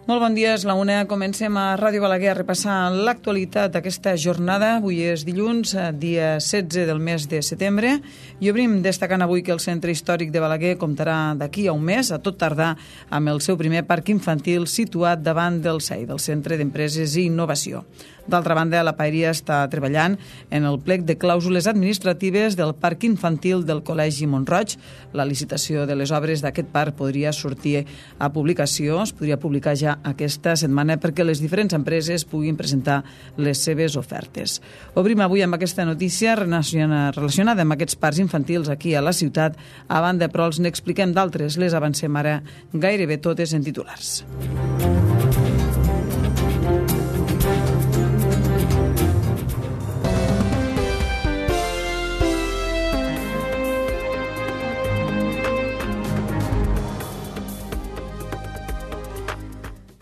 Molt bon dia, és la una. Comencem a Ràdio Balaguer a repassar l'actualitat d'aquesta jornada. Avui és dilluns, dia 16 del mes de setembre, i obrim destacant avui que el Centre Històric de Balaguer comptarà d'aquí a un mes, a tot tardar, amb el seu primer parc infantil situat davant del CEI, del Centre d'Empreses i Innovació. D'altra banda, la Paeria està treballant en el plec de clàusules administratives del parc infantil del Col·legi Mont-roig. La licitació de les obres d'aquest parc podria sortir a publicació, es podria publicar ja aquesta setmana perquè les diferents empreses puguin presentar les seves ofertes. Obrim avui amb aquesta notícia relacionada amb aquests parcs infantils aquí a la ciutat. A banda, però, els n'expliquem d'altres. Les avancem ara gairebé totes en titulars.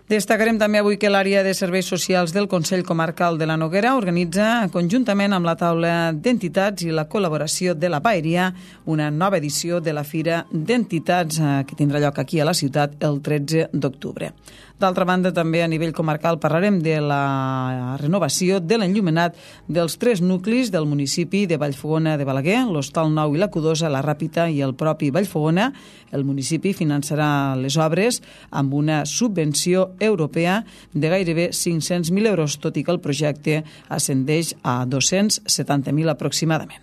Destacarem també avui que l'àrea de serveis socials del Consell Comarcal de la Noguera organitza, conjuntament amb la taula d'entitats i la col·laboració de la Paeria, una nova edició de la Fira d'Entitats que tindrà lloc aquí a la ciutat el 13 d'octubre. D'altra banda, també a nivell comarcal parlarem de la renovació de l'enllumenat dels 3 nuclis del municipi de Vallfogona de Balaguer, l'Hostal Nou i la Cudosa, la Ràpita i el propi Vallfogona. El municipi finançarà les obres amb una subvenció europea de gairebé 500.000 euros, tot i que el projecte ascendeix a 270.000 aproximadament.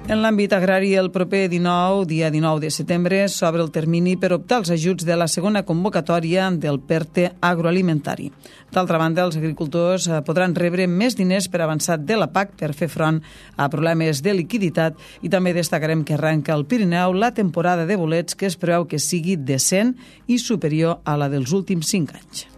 En l'àmbit agrari, el proper dia 19 de setembre, s'obre el termini per optar als ajuts de la segona convocatòria del PERTE agroalimentari. D'altra banda, els agricultors podran rebre més diners per avançat de la PAC per fer front a problemes de liquiditat, i també destacarem que arranca al Pirineu la temporada de bolets, que es preveu que sigui decent i superior a la dels últims 5 anys.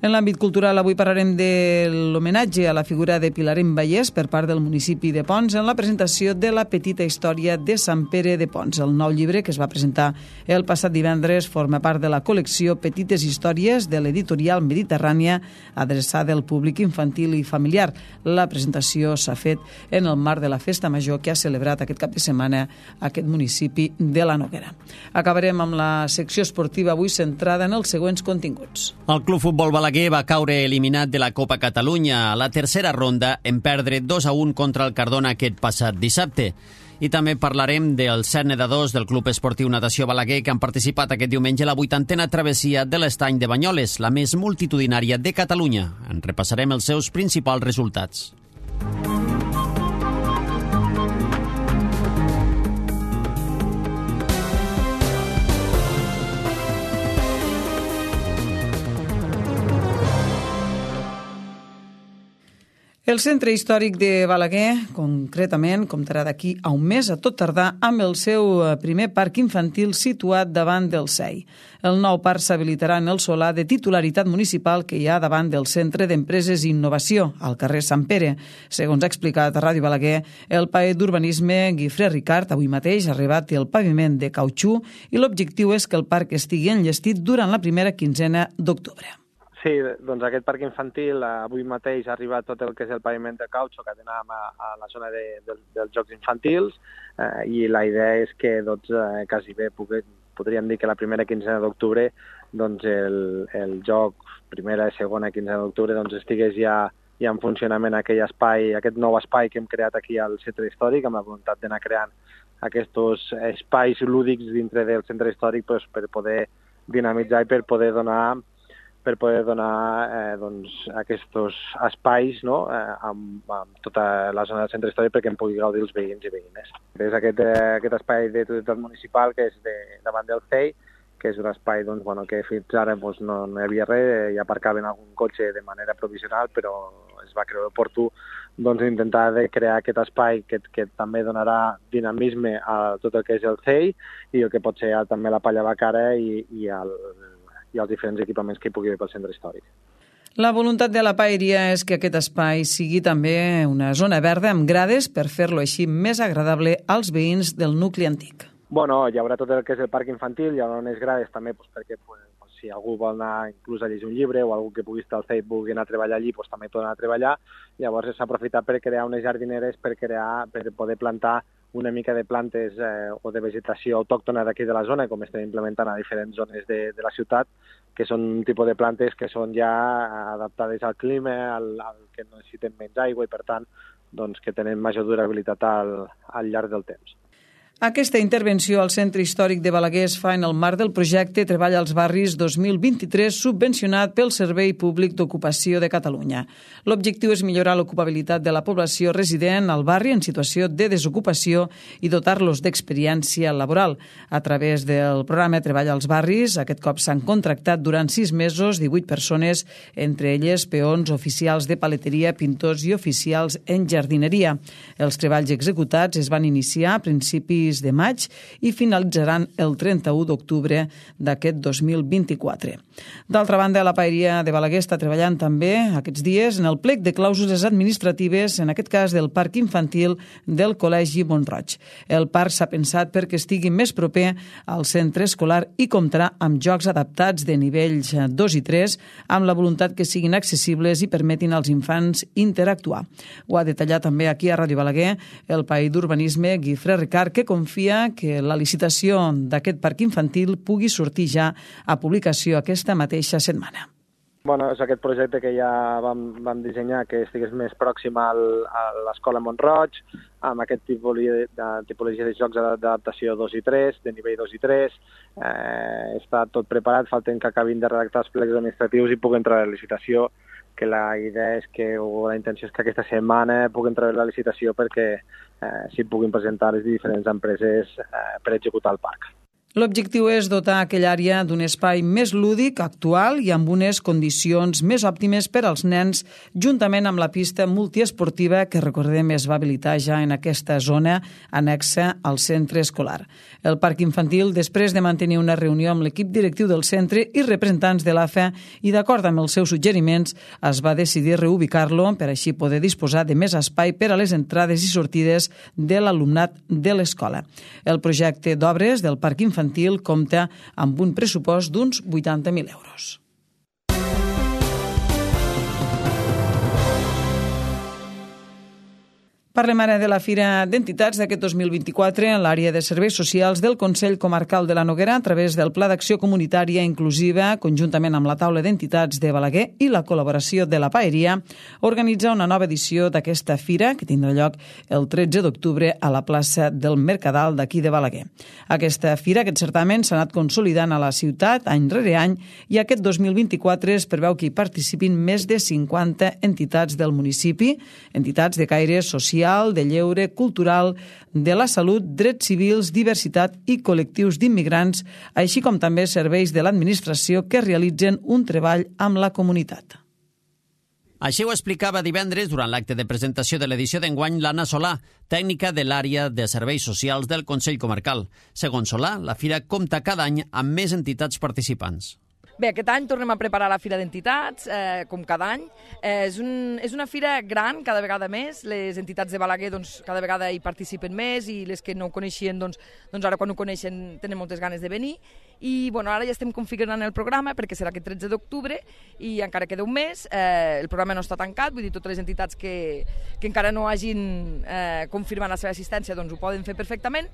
En l'àmbit cultural, avui parlarem de l'homenatge a la figura de Pilarén Vallès per part del municipi de Ponts en la presentació de la petita història de Sant Pere de Ponts. El nou llibre, que es va presentar el passat divendres, forma part de la col·lecció Petites Històries de l'editorial Mediterrània, adreçada al públic infantil i familiar. La presentació s'ha fet en el marc de la Festa Major que ha celebrat aquest cap de setmana aquest municipi de la Noguera. Acabarem amb la secció esportiva avui centrada en els següents continguts. El Club Futbol Balaguer va caure eliminat de la Copa Catalunya a la tercera ronda en perdre 2-1 contra el Cardona aquest passat dissabte. I també parlarem dels 7 nedadors del Club Esportiu Natació Balaguer que han participat aquest diumenge a la 80a travessia de l'Estany de Banyoles, la més multitudinària de Catalunya. En repassarem els seus principals resultats. El Centre Històric de Balaguer, concretament, comptarà d'aquí a un mes, a tot tardar, amb el seu primer parc infantil situat davant del CEI. El nou parc s'habilitarà en el solar de titularitat municipal que hi ha davant del Centre d'Empreses i Innovació, al carrer Sant Pere. Segons ha explicat a Ràdio Balaguer, el paet d'urbanisme Guifré Ricard avui mateix ha arribat el paviment de cautxú i l'objectiu és que el parc estigui enllestit durant la primera quinzena d'octubre. Sí, doncs aquest parc infantil avui mateix ha arribat tot el que és el paviment de cautxo que tenim a la zona dels jocs infantils i la idea és que quasi bé podríem dir que la primera quinzena d'octubre doncs el joc primera i segona quinzena d'octubre doncs estigués ja en funcionament aquest nou espai que hem creat aquí al Centre Històric amb la voluntat d'anar creant aquests espais lúdics dintre del Centre Històric per poder dinamitzar i per poder donar aquests espais amb tota la zona del centre històric perquè en pugui gaudir els veïns i veïnes. És aquest espai de totalitat municipal que és davant del CEI, que és un espai que fins ara no hi havia res, hi aparcaven algun cotxe de manera provisional, però es va creure oportú intentar crear aquest espai que també donarà dinamisme a tot el que és el CEI i el que pot ser també la Palla Bacara i els diferents equipaments que hi pugui haver pel centre històric. La voluntat de la Paeria és que aquest espai sigui també una zona verda amb grades per fer-lo així més agradable als veïns del nucli antic. Bueno, hi haurà tot el que és el parc infantil, hi haurà unes grades també perquè si algú vol anar inclús a llegir un llibre o algú que pugui estar al CEI vulgui anar a treballar allí, també pot anar a treballar. Llavors s'ha aprofitat per crear unes jardineres per poder plantar una mica de plantes o de vegetació autòctona d'aquí de la zona, com estem implementant a diferents zones de la ciutat, que són un tipus de plantes que són ja adaptades al clima, al que necessiten menys aigua i, per tant, doncs, que tenen major durabilitat al llarg del temps. Aquesta intervenció al Centre Històric de Balaguer es fa en el marc del projecte Treball als Barris 2023 subvencionat pel Servei Públic d'Ocupació de Catalunya. L'objectiu és millorar l'ocupabilitat de la població resident al barri en situació de desocupació i dotar-los d'experiència laboral. A través del programa Treball als Barris, aquest cop s'han contractat durant 6 mesos 18 persones, entre elles peons, oficials de paleteria, pintors i oficials en jardineria. Els treballs executats es van iniciar a principis de maig i finalitzaran el 31 d'octubre d'aquest 2024. D'altra banda, la Paeria de Balaguer està treballant també aquests dies en el plec de clàusules administratives, en aquest cas del parc infantil del Col·legi Mont-roig. El parc s'ha pensat perquè estigui més proper al centre escolar i comptarà amb jocs adaptats de nivells 2 i 3, amb la voluntat que siguin accessibles i permetin als infants interactuar. Ho ha detallat també aquí a Ràdio Balaguer el paí d'Urbanisme Guifré Ricard, que confia que la licitació d'aquest parc infantil pugui sortir ja a publicació aquesta mateixa setmana. Bueno, és aquest projecte que ja vam dissenyar que estigués més pròxim a l'escola Mont-roig, amb aquest tipologia de jocs d'adaptació 2 i 3, de nivell 2 i 3. Està tot preparat, falten que acabin de redactar els plecs administratius i puguin entrar a la licitació, que la idea és que, o la intenció és que aquesta setmana puguin entrar a la licitació perquè s'hi puguin presentar les diferents empreses per executar el parc. L'objectiu és dotar aquella àrea d'un espai més lúdic, actual i amb unes condicions més òptimes per als nens, juntament amb la pista multiesportiva que, recordem, es va habilitar ja en aquesta zona anexa al centre escolar. El parc infantil, després de mantenir una reunió amb l'equip directiu del centre i representants de l'AFA i d'acord amb els seus suggeriments, es va decidir reubicar-lo per així poder disposar de més espai per a les entrades i sortides de l'alumnat de l'escola. El projecte d'obres del parc infantil compta amb un pressupost d'uns 80.000 euros. Parlem ara de la Fira d'Entitats d'aquest 2024 en l'àrea de serveis socials del Consell Comarcal de la Noguera a través del Pla d'Acció Comunitària Inclusiva, conjuntament amb la Taula d'Entitats de Balaguer i la col·laboració de la Paeria, organitza una nova edició d'aquesta fira que tindrà lloc el 13 d'octubre a la plaça del Mercadal d'aquí de Balaguer. Aquesta fira, aquest certamen, s'ha anat consolidant a la ciutat any rere any i aquest 2024 es preveu que hi participin més de 50 entitats del municipi, entitats de caire social, de lleure, cultural, de la salut, drets civils, diversitat i col·lectius d'immigrants, així com també serveis de l'administració que realitzen un treball amb la comunitat. Així ho explicava divendres durant l'acte de presentació de l'edició d'enguany l'Anna Solà, tècnica de l'àrea de serveis socials del Consell Comarcal. Segons Solà, la fira compta cada any amb més entitats participants. Bé, aquest any tornem a preparar la Fira d'Entitats, com cada any. És una fira gran, cada vegada més. Les entitats de Balaguer cada vegada hi participen més i les que no ho coneixien, doncs ara quan ho coneixen tenen moltes ganes de venir. I ara ja estem configurant el programa perquè serà aquest 13 d'octubre i encara queda un mes. El programa no està tancat, vull dir, totes les entitats que encara no hagin confirmat la seva assistència doncs ho poden fer perfectament.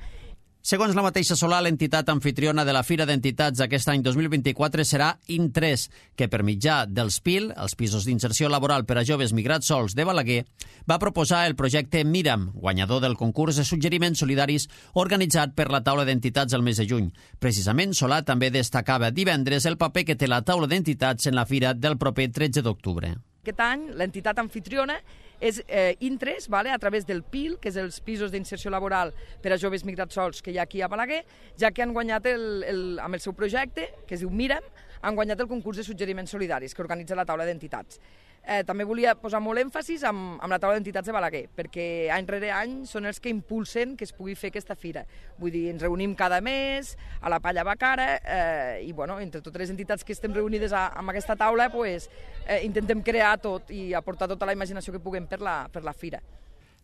Segons la mateixa Solà, l'entitat anfitriona de la Fira d'Entitats aquest any 2024 serà In3, que per mitjà dels PIL, els pisos d'inserció laboral per a joves migrats sols de Balaguer, va proposar el projecte Miram, guanyador del concurs de suggeriments solidaris organitzat per la Taula d'Entitats el mes de juny. Precisament, Solà també destacava divendres el paper que té la Taula d'Entitats en la fira del proper 13 d'octubre. Aquest any l'entitat anfitriona és In3, a través del PIL, que és els pisos d'inserció laboral per a joves migrats sols que hi ha aquí a Balaguer, ja que han guanyat amb el seu projecte, que es diu Miram, han guanyat el concurs de suggeriments solidaris que organitza la Taula d'Entitats. També volia posar molt èmfasis amb la Taula d'Entitats de Balaguer, perquè any rere any són els que impulsen que es pugui fer aquesta fira. Vull dir, ens reunim cada mes a la Palla Bacara i, entre totes les entitats que estem reunides amb aquesta taula, intentem crear tot i aportar tota la imaginació que puguem per la fira.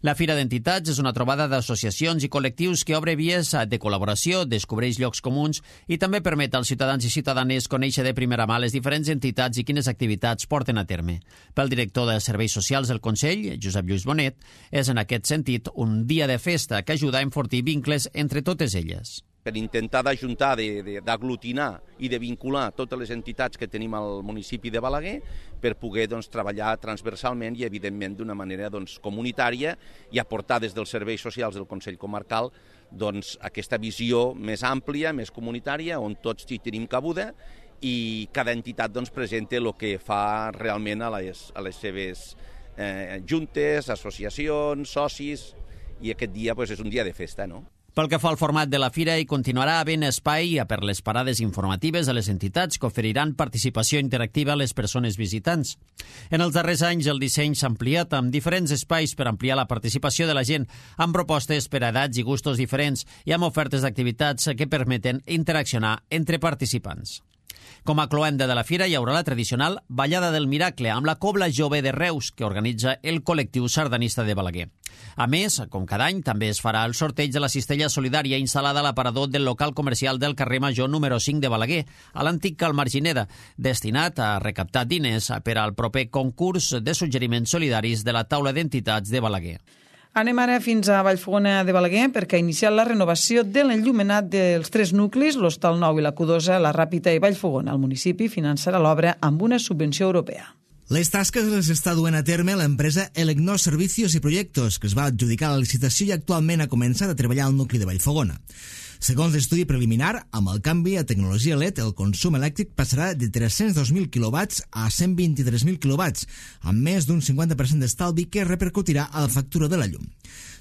La Fira d'Entitats és una trobada d'associacions i col·lectius que obre vies de col·laboració, descobreix llocs comuns i també permet als ciutadans i ciutadanes conèixer de primera mà les diferents entitats i quines activitats porten a terme. Pel director de Serveis Socials del Consell, Josep Lluís Bonet, és en aquest sentit un dia de festa que ajuda a enfortir vincles entre totes elles. Per intentar d'ajuntar, d'aglutinar i de vincular totes les entitats que tenim al municipi de Balaguer per poder treballar transversalment i, evidentment, d'una manera comunitària i aportar des dels serveis socials del Consell Comarcal aquesta visió més àmplia, més comunitària, on tots hi tenim cabuda i cada entitat presenta el que fa realment a les seves juntes, associacions, socis, i aquest dia és un dia de festa, no? Pel que fa al format de la fira, hi continuarà havent espai per les parades informatives de les entitats que oferiran participació interactiva a les persones visitants. En els darrers anys, el disseny s'ha ampliat amb diferents espais per ampliar la participació de la gent, amb propostes per a edats i gustos diferents i amb ofertes d'activitats que permeten interaccionar entre participants. Com a cloenda de la fira hi haurà la tradicional Ballada del Miracle amb la Cobla Jove de Reus que organitza el col·lectiu sardanista de Balaguer. A més, com cada any, també es farà el sorteig de la cistella solidària instal·lada a l'aparador del local comercial del carrer Major número 5 de Balaguer, a l'antic Cal Margineda, destinat a recaptar diners per al proper concurs de suggeriments solidaris de la taula d'entitats de Balaguer. Anem ara fins a Vallfogona de Balaguer perquè ha iniciat la renovació de l'enllumenat dels 3 nuclis, l'Hostal Nou i la Q2, la Ràpita i Vallfogona. El municipi finançarà l'obra amb una subvenció europea. Les tasques les està duent a terme l'empresa Elecnor Servicios i Proyectos, que es va adjudicar la licitació i actualment ha començat a treballar al nucli de Vallfogona. Segons l'estudi preliminar, amb el canvi a tecnologia LED, el consum elèctric passarà de 302.000 kW a 123.000 kW, amb més d'un 50% d'estalvi que repercutirà a la factura de la llum.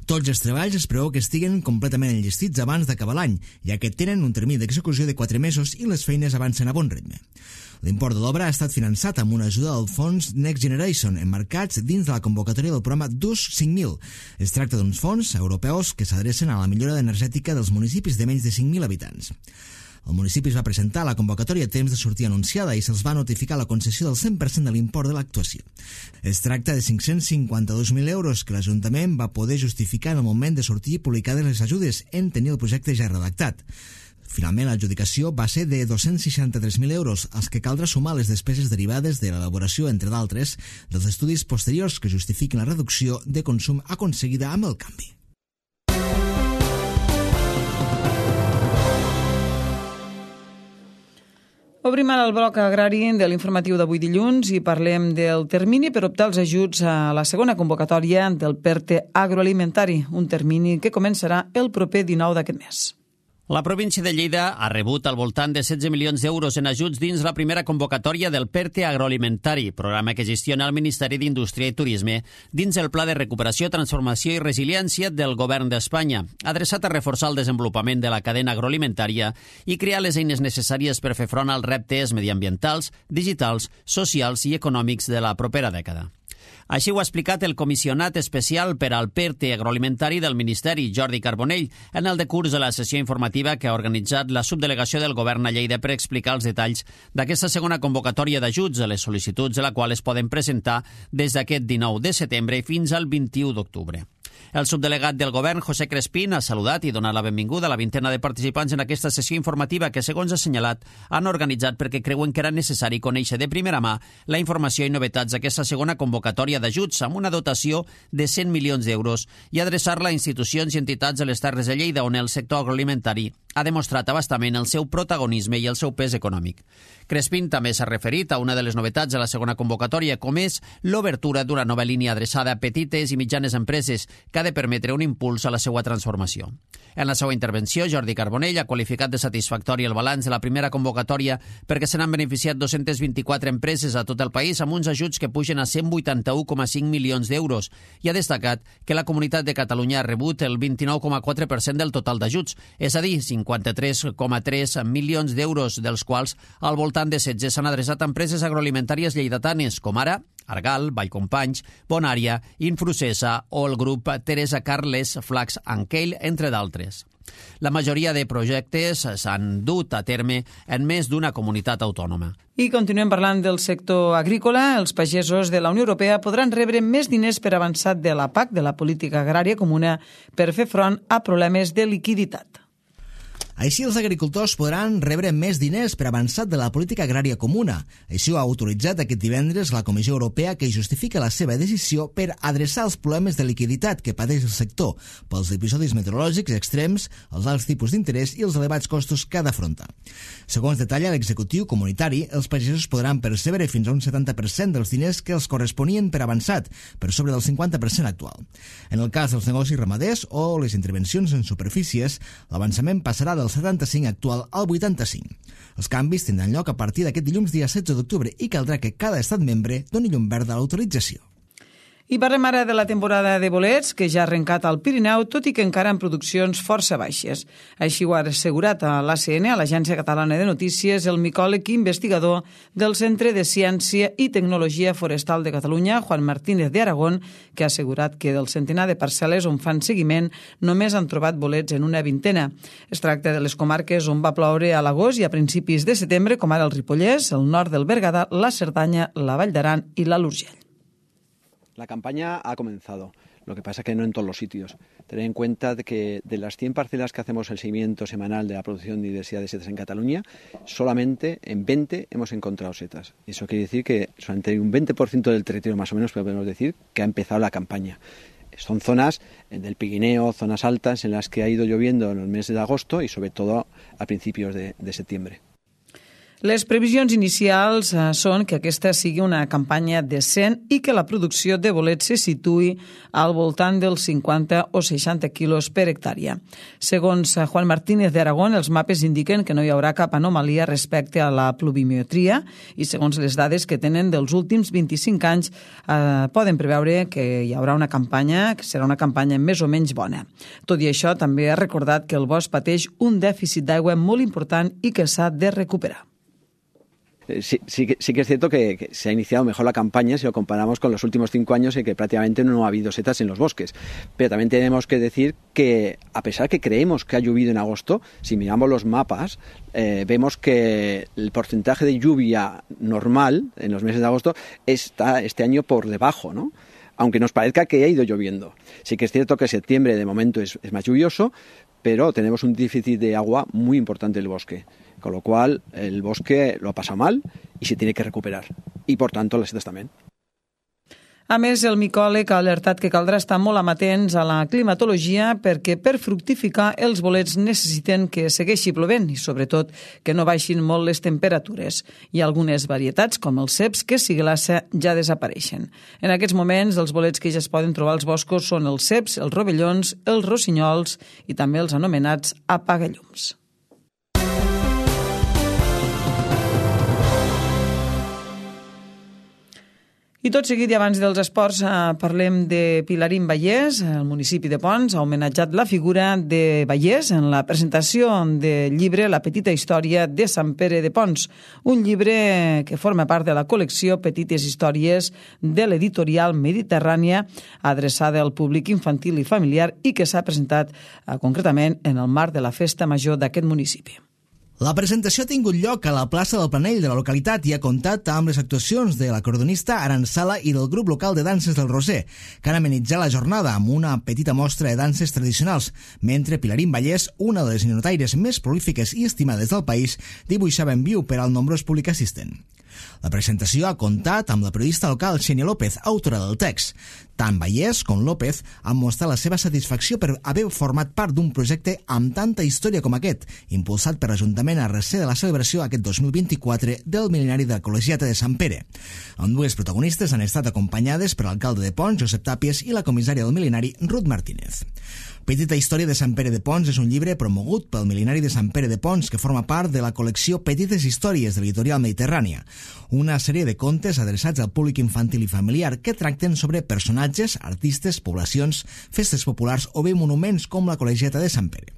Tots els treballs es preveu que estiguen completament enllestits abans d'acabar l'any, ja que tenen un termini d'execució de 4 mesos i les feines avancen a bon ritme. L'import de l'obra ha estat finançat amb una ajuda del fons Next Generation, emmarcats dins de la convocatòria del programa DUS 5.000. Es tracta d'uns fons europeus que s'adrecen a la millora energètica dels municipis de menys de 5.000 habitants. El municipi es va presentar a la convocatòria a temps de sortir anunciada i se'ls va notificar la concessió del 100% de l'import de l'actuació. Es tracta de 552.000 euros que l'Ajuntament va poder justificar en el moment de sortir publicades les ajudes en tenir el projecte ja redactat. Finalment, l'adjudicació va ser de 263.000 euros, als que caldrà sumar les despeses derivades de l'elaboració, entre d'altres, dels estudis posteriors que justifiquen la reducció de consum aconseguida amb el canvi. Obrim ara el bloc agrari de l'informatiu d'avui dilluns i parlem del termini per optar als ajuts a la segona convocatòria del PERTE agroalimentari, un termini que començarà el proper 19 d'aquest mes. La província de Lleida ha rebut al voltant de 16 milions d'euros en ajuts dins la primera convocatòria del PERTE agroalimentari, programa que gestiona el Ministeri d'Indústria i Turisme dins el Pla de Recuperació, Transformació i Resiliència del Govern d'Espanya, adreçat a reforçar el desenvolupament de la cadena agroalimentària i crear les eines necessàries per fer front als reptes mediambientals, digitals, socials i econòmics de la propera dècada. Així ho ha explicat el comissionat especial per al PERTE agroalimentari del Ministeri, Jordi Carbonell, en el decurs de la sessió informativa que ha organitzat la subdelegació del Govern a Lleida per explicar els detalls d'aquesta segona convocatòria d'ajuts a les sol·licituds de la qual es poden presentar des d'aquest 19 de setembre fins al 21 d'octubre. El subdelegat del Govern, José Crespín, ha saludat i donat la benvinguda a la vintena de participants en aquesta sessió informativa que, segons ha assenyalat, han organitzat perquè creuen que era necessari conèixer de primera mà la informació i novetats d'aquesta segona convocatòria d'ajuts amb una dotació de 100 milions d'euros i adreçar-la a institucions i entitats de les Terres de Lleida on el sector agroalimentari ha demostrat abastament el seu protagonisme i el seu pes econòmic. Crespín també s'ha referit a una de les novetats de la segona convocatòria, com és l'obertura d'una nova línia adreçada a petites i mitjanes empreses que ha de permetre un impuls a la seva transformació. En la seva intervenció, Jordi Carbonell ha qualificat de satisfactori el balanç de la primera convocatòria perquè se n'han beneficiat 224 empreses a tot el país amb uns ajuts que pugen a 181,5 milions d'euros i ha destacat que la Comunitat de Catalunya ha rebut el 29,4% del total d'ajuts, és a dir, 53,3 milions d'euros, dels quals al voltant de 16 s'han adreçat a empreses agroalimentàries lleidatanes, com ara Argal, Vallcompanys, Bonària, Infrucesa o el grup Teresa Carles, Flax and Keil, entre d'altres. La majoria de projectes s'han dut a terme en més d'una comunitat autònoma. I continuem parlant del sector agrícola. Els pagesos de la Unió Europea podran rebre més diners per avançat de la PAC, de la Política Agrària Comuna, per fer front a problemes de liquiditat. Així, els agricultors podran rebre més diners per avançat de la política agrària comuna. Així ho ha autoritzat aquest divendres la Comissió Europea, que justifica la seva decisió per adreçar els problemes de liquiditat que pateix el sector pels episodis meteorològics extrems, els alts tipus d'interès i els elevats costos que ha d'afrontar. Segons detalla l'executiu comunitari, els pagesos podran percebre fins a un 70% dels diners que els corresponien per avançat, per sobre del 50% actual. En el cas dels negocis ramaders o les intervencions en superfícies, l'avançament passarà del 75 actual al 85. Els canvis tindran lloc a partir d'aquest dilluns dia 16 d'octubre i caldrà que cada estat membre doni llum verda a l'autorització. I parlem ara de la temporada de bolets, que ja ha arrencat al Pirineu, tot i que encara en produccions força baixes. Així ho ha assegurat a l'ACN, a l'Agència Catalana de Notícies, el micòleg i investigador del Centre de Ciència i Tecnologia Forestal de Catalunya, Juan Martínez de Aragón, que ha assegurat que del centenar de parcel·les on fan seguiment només han trobat bolets en una vintena. Es tracta de les comarques on va ploure a l'agost i a principis de setembre, com ara el Ripollès, el nord del Berguedà, la Cerdanya, la Vall d'Aran i l'Alt Urgell. La campaña ha comenzado, lo que pasa que no en todos los sitios. Tener en cuenta de que de las 100 parcelas que hacemos el seguimiento semanal de la producción y diversidad de setas en Cataluña, solamente en 20 hemos encontrado setas. Eso quiere decir que solamente un 20% del territorio más o menos podemos decir que ha empezado la campaña. Son zonas del Pirineo, zonas altas en las que ha ido lloviendo en los meses de agosto y sobre todo a principios de septiembre. Les previsions inicials són que aquesta sigui una campanya decent i que la producció de bolets se situï al voltant dels 50 o 60 quilos per hectàrea. Segons Juan Martínez de Aragón, els mapes indiquen que no hi haurà cap anomalia respecte a la pluviometria i segons les dades que tenen dels últims 25 anys poden preveure que hi haurà una campanya que serà una campanya més o menys bona. Tot i això, també ha recordat que el bosc pateix un dèficit d'aigua molt important i que s'ha de recuperar. Sí que es cierto que se ha iniciado mejor la campaña si lo comparamos con los últimos 5 años en que prácticamente no ha habido setas en los bosques. Pero también tenemos que decir que, a pesar que creemos que ha llovido en agosto, si miramos los mapas, vemos que el porcentaje de lluvia normal en los meses de agosto está este año por debajo, ¿no? Aunque nos parezca que ha ido lloviendo. Sí que es cierto que septiembre de momento es más lluvioso, pero tenemos un déficit de agua muy importante en el bosque. Con lo cual, el bosque lo ha pasado mal y se tiene que recuperar. Y, por tanto, las setas también. A més, el micòleg ha alertat que caldrà estar molt amatents a la climatologia perquè per fructificar els bolets necessiten que segueixi plovent i, sobretot, que no baixin molt les temperatures. Hi ha algunes varietats, com els ceps, que si glaça ja desapareixen. En aquests moments, els bolets que ja es poden trobar als boscos són els ceps, els rovellons, els rossinyols i també els anomenats apagallums. I tot seguit, i abans dels esports, parlem de Pilarín Vallès. El municipi de Ponts ha homenatjat la figura de Vallès en la presentació del llibre La petita història de Sant Pere de Ponts, un llibre que forma part de la col·lecció Petites històries de l'editorial Mediterrània, adreçada al públic infantil i familiar i que s'ha presentat concretament en el marc de la festa major d'aquest municipi. La presentació ha tingut lloc a la plaça del Planell de la localitat i ha comptat amb les actuacions de l'acordonista Aran Sala i del grup local de danses del Roser, que han amenitzat la jornada amb una petita mostra de danses tradicionals, mentre Pilarín Vallès, una de les ninotaires més prolífiques i estimades del país, dibuixava en viu per al nombrós públic assistent. La presentació ha comptat amb la periodista local Xenia López, autora del text. Tant Vallès com López han mostrat la seva satisfacció per haver format part d'un projecte amb tanta història com aquest, impulsat per l'Ajuntament a recer de la celebració aquest 2024 del mil·lenari de la Col·legiata de Sant Pere. Ambdues protagonistes han estat acompanyades per l'alcalde de Ponts, Josep Tàpies, i la comissària del mil·lenari, Ruth Martínez. Petita història de Sant Pere de Ponts és un llibre promogut pel mil·lenari de Sant Pere de Ponts que forma part de la col·lecció Petites històries de l'editorial Mediterrània, una sèrie de contes adreçats al públic infantil i familiar que tracten sobre personatges, artistes, poblacions, festes populars o bé monuments com la Col·legiata de Sant Pere.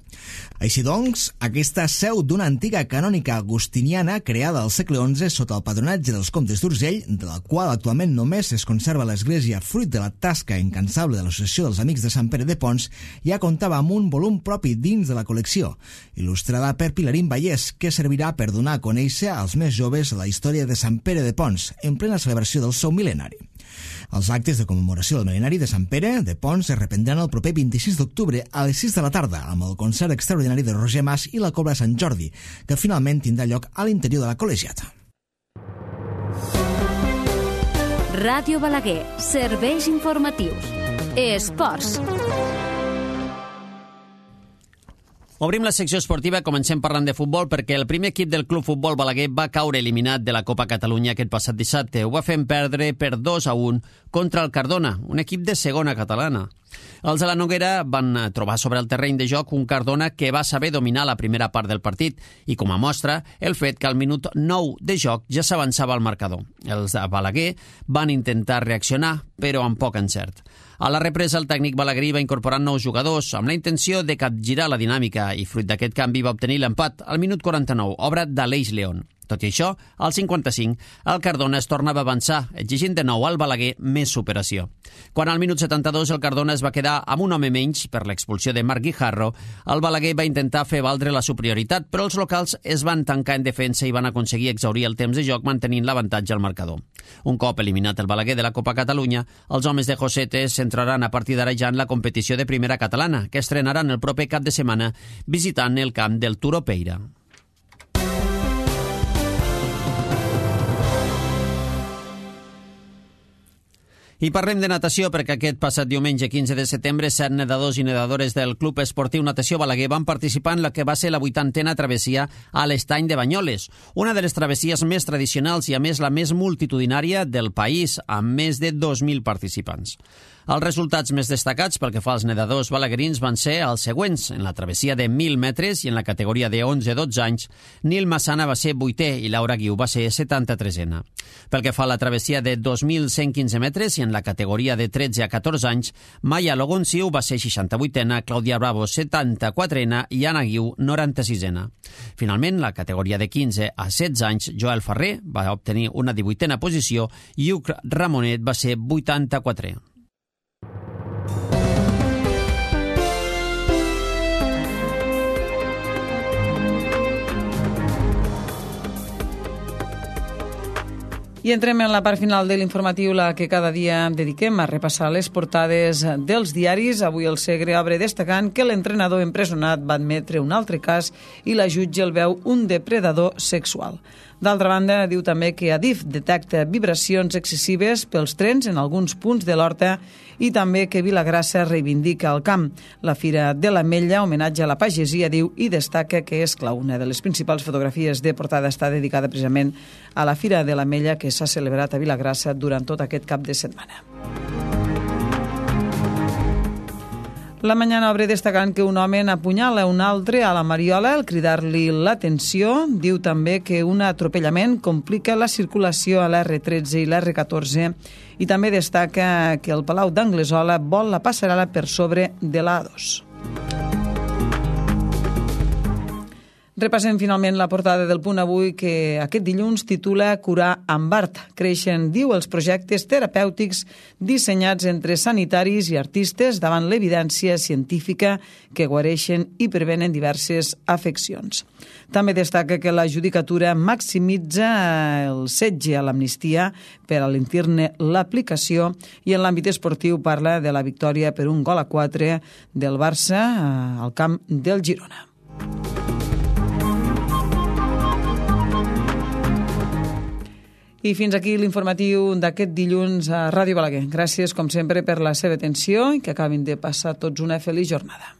Així doncs, aquesta seu d'una antiga canònica agustiniana creada al segle XI sota el patronatge dels comtes d'Urgell, de la qual actualment només es conserva l'església fruit de la tasca incansable de l'Associació dels Amics de Sant Pere de Pons, ja comptava amb un volum propi dins de la col·lecció, il·lustrada per Pilarín Vallès, que servirà per donar a conèixer als més joves la història de Sant Pere de Pons, en plena celebració del seu mil·lenari. Els actes de commemoració del mil·lenari de Sant Pere de Pons es reprendran el proper 26 d'octubre a les 6 de la tarda amb el concert extraordinari de Roger Mas i la Cobla Sant Jordi, que finalment tindrà lloc a l'interior de la col·legiata. Ràdio Balaguer, serveis informatius. Esports. Obrim la secció esportiva, comencem parlant de futbol, perquè el primer equip del Club Futbol Balaguer va caure eliminat de la Copa Catalunya aquest passat dissabte. Ho va fer perdre per 2-1 contra el Cardona, un equip de segona catalana. Els de la Noguera van trobar sobre el terreny de joc un Cardona que va saber dominar la primera part del partit i, com a mostra, el fet que al minut 9 de joc ja s'avançava al marcador. Els de Balaguer van intentar reaccionar, però amb poc encert. A la represa, el tècnic balaguerí va incorporar nous jugadors amb la intenció de capgirar la dinàmica i, fruit d'aquest canvi, va obtenir l'empat al minut 49, obra d'Aleix León. Tot i això, al 55, el Cardona es tornava a avançar, exigint de nou al Balaguer més superació. Quan al minut 72 el Cardona es va quedar amb un home menys per l'expulsió de Marc Guijarro, el Balaguer va intentar fer valdre la superioritat, però els locals es van tancar en defensa i van aconseguir exhaurir el temps de joc mantenint l'avantatge al marcador. Un cop eliminat el Balaguer de la Copa Catalunya, els homes de Josete centraran a partir d'ara ja en la competició de primera catalana, que estrenaran el proper cap de setmana visitant el camp del Turó Peira. I parlem de natació perquè aquest passat diumenge 15 de setembre 7 nedadors i nedadores del Club Esportiu Natació Balaguer van participar en la que va ser la 80a travessia a l'Estany de Banyoles, una de les travessies més tradicionals i a més la més multitudinària del país, amb més de 2.000 participants. Els resultats més destacats pel que fa als nedadors balaguerins van ser els següents. En la travessia de 1.000 metres i en la categoria de 11-12 anys, Nil Massana va ser 8è i Laura Guiu va ser 73a. Pel que fa a la travessia de 2.115 metres i en la categoria de 13 a 14 anys, Maya Logonciu va ser 68a, Clàudia Bravo 74a i Anna Guiu 96a. Finalment, la categoria de 15 a 16 anys, Joel Ferrer va obtenir una 18a posició i Hug Ramonet va ser 84è. I entrem en la part final de l'informatiu, la que cada dia dediquem a repassar les portades dels diaris. Avui el Segre obre destacant que l'entrenador empresonat va admetre un altre cas i la jutge el veu un depredador sexual. D'altra banda, diu també que Adif detecta vibracions excessives pels trens en alguns punts de l'Horta i també que Vilagrassa reivindica el camp. La Fira de l'Ametlla, homenatge a la pagesia, diu, i destaca que és clau. Una de les principals fotografies de portada està dedicada precisament a la Fira de l'Ametlla que s'ha celebrat a Vilagrassa durant tot aquest cap de setmana. La Mañana obre destacant que un home n'apunyala un altre a la Mariola al cridar-li l'atenció. Diu també que un atropellament complica la circulació a l'R13 i l'R14 i també destaca que el Palau d'Anglesola vol la passarel·la per sobre de l'A2. Repassem finalment la portada del Punt Avui, que aquest dilluns titula Curar amb art. Creixen, diu, els projectes terapèutics dissenyats entre sanitaris i artistes davant l'evidència científica que guareixen i prevenen diverses afeccions. També destaca que la judicatura maximitza el setge a l'amnistia per alentir-ne l'aplicació i en l'àmbit esportiu parla de la victòria per 1-4 del Barça al camp del Girona. I fins aquí l'informatiu d'aquest dilluns a Ràdio Balaguer. Gràcies, com sempre, per la seva atenció i que acabin de passar tots una feliç jornada.